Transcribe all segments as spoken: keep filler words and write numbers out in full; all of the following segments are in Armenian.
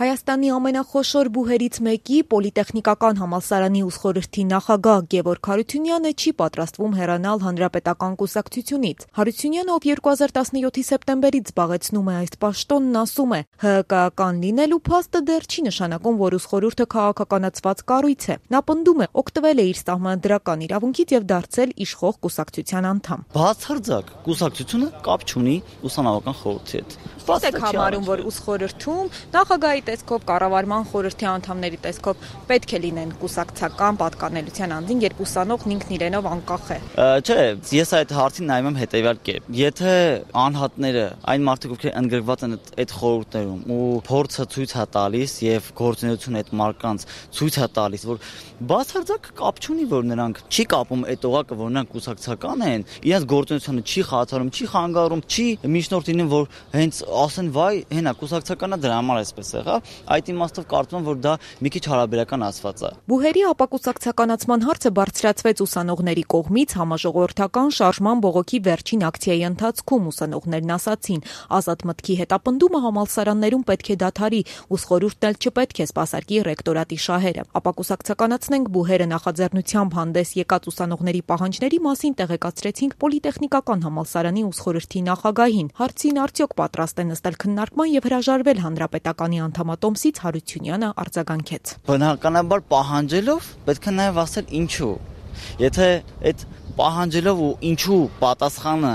Հայաստանի ամենախոշոր բուհերից մեկի Պոլիտեխնիկական համալսարանի ուսխորհրդի նախագահ Գևորգ Հարությունյանը չի պատրաստվում հեռանալ Հանրապետական կուսակցությունից։ Հարությունյանը, ով երկու հազար տասնյոթի սեպտեմբերից զբաղեցնում է այս պաշտոնն, ասում է՝ ՀՀԿ-ական լինելու փաստը դեռ չի նշանակում, որ ուսխորհուրդը քաղաքականացված կառույց է։ Նա պնդում է, օգտվել է իր սահմանադրական իրավունքից եւ դարձել իշխող կուսակցության անդամ։ Բացարձակ կուսակցությունը կապ չունի ուսանողական խորհրդի հետ։ Ո՞ւս եք համարում, որ ուսխորհրդում նախագահի տեսքով, կառավարման խորհրդի անդամների տեսքով պետք է լինեն կուսակցական պատկանելության անձին, երբ ուսանողն ինքն իրենով անկախ է։ Չէ, ես այդ հարցին նայում եմ հետեւյալ կերպ։ Եթե անհատները, այն մարդիկ, ովքեր ընդգրկված են այդ խորհուրդներում ու փորձը ցույց է տալիս եւ գործունեությունը այդ մարկանց ցույց է տալիս, որ բացարձակ կապ չունի, որ նրանք չի կապում այդ օղակը, որ նրանք կուսակցական են, իրենց գործունեությունը չի խաթարում, չի խանգարում, չի միջնորդ լինում, որ հենց ասեն վայ, հենա կուսակցականա դրա համար այսպես եղավ, այդ իմաստով կարծում եմ, որ դա մի քիչ հարաբերական ասված է։ Բուհերի ապակուսակցականացման հարցը բարձրացվեց ուսանողների կողմից համաժողովրդական շարժման բողոքի վերջին ակցիայի ընթացքում, ուսանողներն ասացին, ազատ մտքի հետապնդումը համալսարաններում պետք է դադարի, ուսխորհուրդն էլ չպետք է սպասարկի ռեկտորատի շահերը։ Ապակուսակցականացնենք բուհերը նախաձեռնությամբ հանդես եկած ուսանողների պահանջների մասին տեղեկացրեցինք Պոլիտեխնիկական համալսարանի ուսխորհրդի նախագահին։ Հարցին արդյոք պատրաստ է նստել քննարկման եւ հրաժարվել Հանրապետականի անդամատոմսից, Հարությունյանը արձագանքեց։ Բնականաբար պահանջելով պետք է նաեւ ասել ինչու։ Եթե այդ պահանջելով ու ինչու պատասխանը,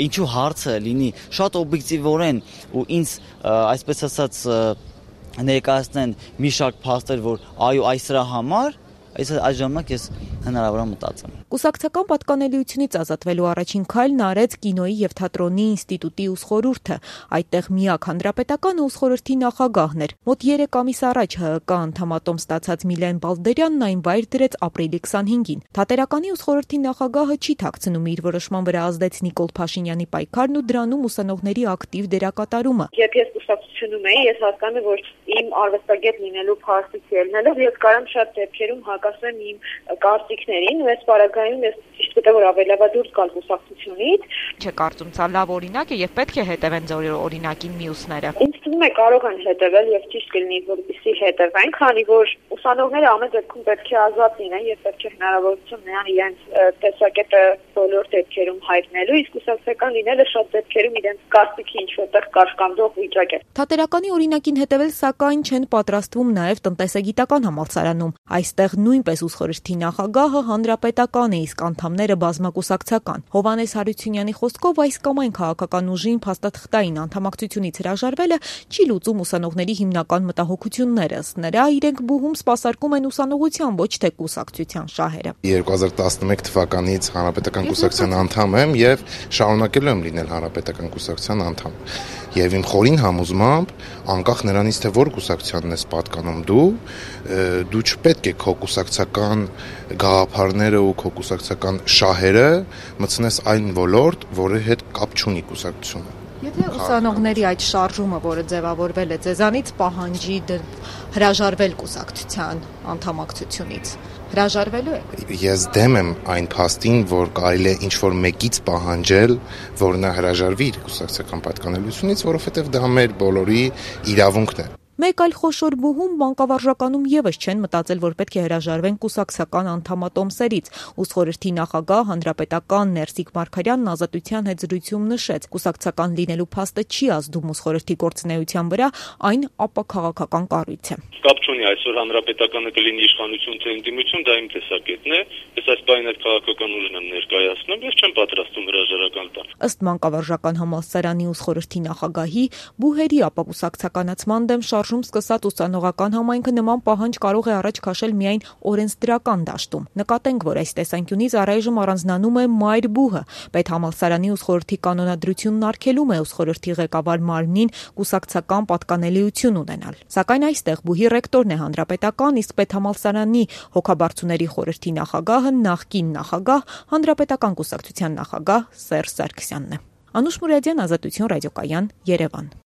ինչու հարցը լինի շատ օբյեկտիվորեն ու ինձ այսպես ասած ներկայացնեն մի շարք փաստեր, որ այո, այս դրա համար, այս ժամանակ ես հնարավոր է մտածեմ։ Կուսակցական պատկանելիությունից ազատվելու առաջին քայլն արեց կինոյի եւ թատրոնի ինստիտուտի ուսխորհուրդը։ Այդտեղ միակ հանրապետական ուսխորհրդի նախագահն էր։ Մոտ երեք ամիս առաջ ՀՀԿ անդամատոմ ստացած Միլեն Բալդերյանն այն վայր դրեց ապրիլի քսանհինգին։ Թատերականի ուսխորհրդի նախագահը չի թաքցնում իր որոշման վրա ազդեց Նիկոլ Փաշինյանի պայքարն ու դրանում ուսանողների ակտիվ դերակատարումը։ Երբ ես կուսակցությունում էի, ես հասկանում եմ, որ իմ արվեստագետ լինելու փաստից ելնելով ես կարամ շատ դեպքերում հակասեմ իմ կարծիքներին, ու այս պարագայում ես ճիշտ գտա, որ ավելավա դուրս գալ կուսակցությունից։ Չէ, կարծում ցա լավ օրինակ է եւ պետք է հետևեն ձեր օրինակին մյուսները։ Ինձ թվում է կարող են հետևել եւ ճիշտ կլինի, որպեսզի հետևեն, քանի որ ուսանողները ամեն դեպքում պետք է ազատ լինեն եւ պետք է հնարավորություն ունենան իրենց տեսակետը բոլոր դեպքերում հայտնելու, իսկ կուսակցական լինելը շատ դեպքերում իրենց կարծիքի ինչ որտեղ կաշկանդող վիճակ է։ Թատերականի օրինակին հետևել սակայն չեն պատրաստվում նաեւ տնտեսագիտական համալսարանում։ Այստեղ նույնպես ուսխորհրդի նախագահը հանրապետական է, իսկ անդամները բազմակուսակցական։ Հովհաննես Հարությունյանի խոսքով այս կամ այն քաղաքական ուժին փաստաթղթային անդամակցությունից հրաժարվելը չի լուծում ուսանողների հիմնական մտահոգությունները։ Ըստ նրա, իրենք բուհում սպասարկում են ուսանողության, ոչ թե կուսակցության շահերը։ երկու հազար տասնմեկ թվականից հանրապետական կուսակցության անդամ եմ եւ շարունակելու եմ լինել հանրապետական կուսակցության անդամ։ Եվ իմ խորին համոզմամբ, անկախ նրանից թե որ կուսակցությանն ես պատկանում դու, դու չպետք է քո կուսակցական գաղափարները ու քո կուսակցական շահերը մտցնես այն ոլորտ, որի հետ կապ չունի կուսակցությունը։ Եթե ուսանողների այդ շարժումը, որը ձևավորվել է ձեզանից, պահանջի հրաժարվել կուսակցության անդամակցությունից, հրաժարվելու եք։ Ես դեմ եմ այն փաստին, որ կարելի է ինչ-որ մեկից պահանջել, որ նա հրաժարվի իր կուսակցական պատկանելությունից, որովհետև դա մեր բոլորի իրավունքն է։ Մեկ այլ խոշոր բուհում բանկավարժականում եւս չեն մտածել, որ պետք է հրաժարվեն կուսակցական անդամատոմսերից։ Ուսխորհրդի նախագահ հանրապետական Ներսիկ Մարգարյանն Ազատության հետ զրույցում նշեց, կուսակցական լինելու փաստը չի ազդում ուսխորհրդի գործունեության վրա, այն ապաքաղաքական կառույց է։ Կապ չունի այսօր հանրապետականը կլինի իշխանություն թե ընդդիմություն, դա իմ տեսակետն է։ Ես այս բանը այդ քաղաքական ուժն եմ ներկայացնում, ես չեմ պատրաստում հրաժարական տալ։ Ըստ Մանկավարժական համալսարանի ուսխորհրդի նախագահի, բուհերի ապակուսակցականացման դեմ շարժում սկսած ուսանողական համայնքը նման պահանջ կարող է առաջ քաշել միայն օրենսդրական դաշտում։ Նկատենք, որ այս տեսանկյունից առայժմ առանձնանում է մայր բուհը։ Պետհամալսարանի ուսխորհրդի կանոնադրությունն արգելում է ուսխորհրդի ղեկավար մարմնին կուսակցական պատկանելիություն ունենալ։ Սակայն այստեղ բուհի ռեկտորն է հանրապետական, իսկ պետհամալսարանի հոգաբարձուների խորհրդի նախագահը նախկին նախագահ, հանրապետական կուսակցության նախագահ Սերժ Սարգսյանն է։ Անուշ Մուրադյան, Ազատություն ռադիոկայան, Երևան։